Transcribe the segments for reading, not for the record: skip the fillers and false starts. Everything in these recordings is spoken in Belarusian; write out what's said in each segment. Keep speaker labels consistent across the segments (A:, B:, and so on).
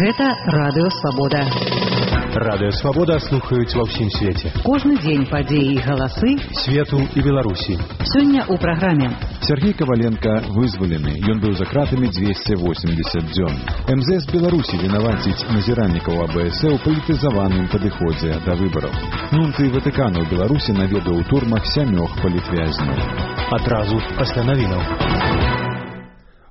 A: Гэта Радыё Свабода.
B: Радыё Свабода слухаюць ва ўсім свеце.
A: Кожны дзень падзеі і галасы
B: свету і Беларусі.
A: Сёння ў праграме.
C: Сергей Коваленко вызвалены. Ён быў за кратамі 280 дзён. МЗС Беларусі вінаваціць назіральнікаў АБС у палітызаваным падыходзе да выбараў. Нунцый Ватыкана ў Беларусі наведаў у турмах 7 палітвязняў.
B: Адразу пасля навінаў.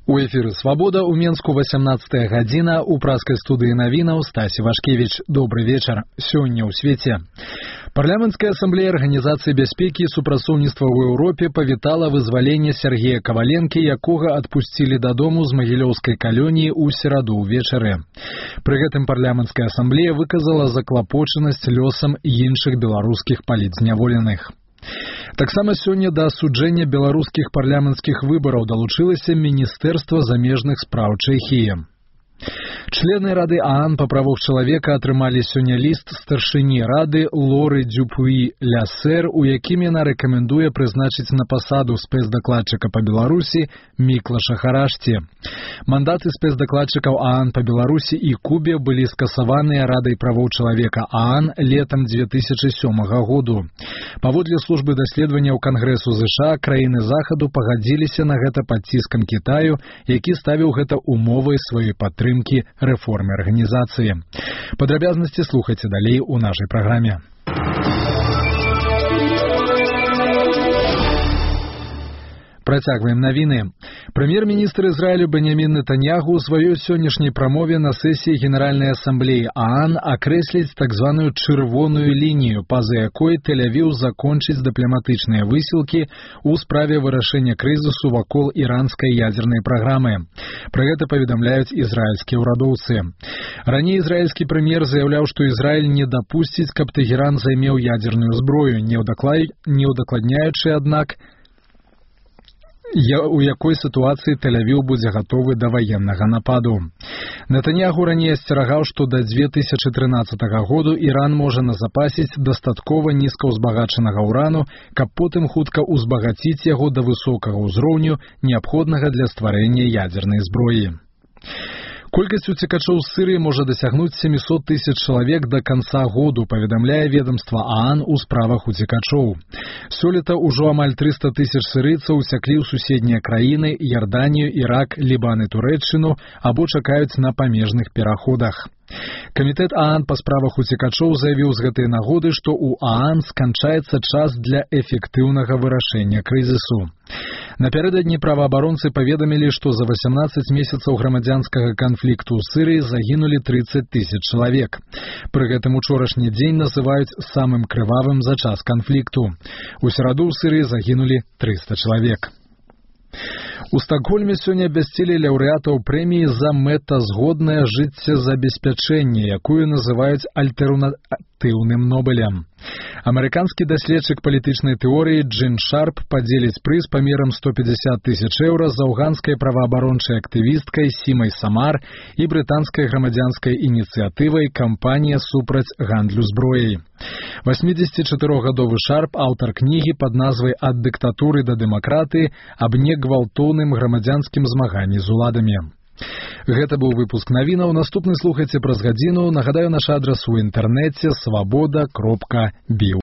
D: У эфіры «Свабода» у Менску 18 гадзіна, у праскай студыі навінаў Стасі Вашкевіч. Добры вечар. Сёння ў свеце. Парламенцкая асамблея Арганізацыі бяспекі і супрацоўніцтва ў Еўропе павітала вызваленне Сергея Коваленкі, якога адпусцілі дадому з магілёўскай калоніі ў сераду ўвечары. Пры гэтым парламенцкая асамблея выказала заклапочанасць лёсам іншых беларускіх палітзняволеных. Таксама сёння да асуджэння беларускіх парламенцкіх выбараў далучылася Міністэрства замежных спраў Чэхіі. Члены Рады ААН па правах чалавека атрымалі сёння ліст старшыні Рады Лоры Дюпуі-Лясэр, у якім яна рэкамендуе прызначыць на пасаду спецдакладчыка па Беларусі Міклаша Харашці. Мандаты спецдакладчыкаў ААН па Беларусі і Кубе былі скасаваныя Радай правоў чалавека ААН летам 2007 году. Паводле службы даследаванняў Кангрэсу ЗША, краіны Захаду пагадзіліся на гэта пад ціскам Кітаю, які ставіў гэта умовай сваёй падтрымкі рэформы арганізацыі. Падрабязнасці слухайце далей у нашай праграме. Працягваем навіны. Прэм'ер-міністр Ізраілю Беньямін Нетаньяху ў сваёй сённяшняй прамове на сесіі Генеральнай асамблеі ААН акрэсліць так званую чырвоную лінію, па-за якой Тель-Авіў закончыць дыпламатычныя высілкі ў справе вырашэння крызісу вакол іранскай ядзернай праграмы. Пра гэта паведамляюць ізраільскія ўрадоўцы. Раней ізраільскі прэм'ер заяўляў, што Ізраіль не дапусціць, каб Тэгеран займеў ядзерную зброю, не ўдакладняючы, аднак, у якой сітуацыі Тель-Авіў будзе гатовы да ваеннага нападу. Нетаньяху раней асцерагаў, што да 2013 году Іран можа назапасіць дастаткова нізкаўзбагачанага ўрану, каб потым хутка ўзбагаціць яго да высокага ўзроўню, неабходнага для стварэння ядзернай зброі. Колькасць уцекачоў з Сырыі можа дасягнуць 700 000 чалавек да канца году, паведамляе ведомства ААН у справах уцекачоў. Сёлета ўжо амаль 300 000 сырыйцаў уцяклі ў суседнія краіны Ярданію, Ірак, Лібан і Турэччыну або чакаюць на памежных пераходах. Камітэт ААН па справах уцекачоў заявіў з гэтай нагоды, што ў ААН сканчаецца час для эфектыўнага вырашэння крызісу. Напярэдадні праваабаронцы паведамілі, што за 18 месяцаў грамадзянскага канфлікту ў Сырыі загінулі 30 000 чалавек. Пры гэтым учорашні дзень называюць самым крывавым за час канфлікту. У сераду ў Сырыі загінулі 300 чалавек. У Стакгольме сёння абвясцілі лаўрэатаў прэміі за мэтазгоднае жыццезабеспячэнне, якую называюць альтэрнатыўным Нобелем. Амерыканскі даследчык палітычнай тэорыі Джин Шарп падзеліць прыз памерам 150 000 еўра з афганскай праваабарончай актывісткай Сімай Самар і брытанскай грамадзянскай ініцыятывай «Кампанія супраць гандлю зброяй». 84-гадовы Шарп, аўтар кнігі пад назвай «Ад дыктатуры да дэмакратыі» аб негвалтоўным грамадзянскім змаганні з уладамі. Гэта быў выпуск навінаў. Наступны слухайце праз гадзіну. Нагадаю, наш адрас у інтэрнэце свабода.бі.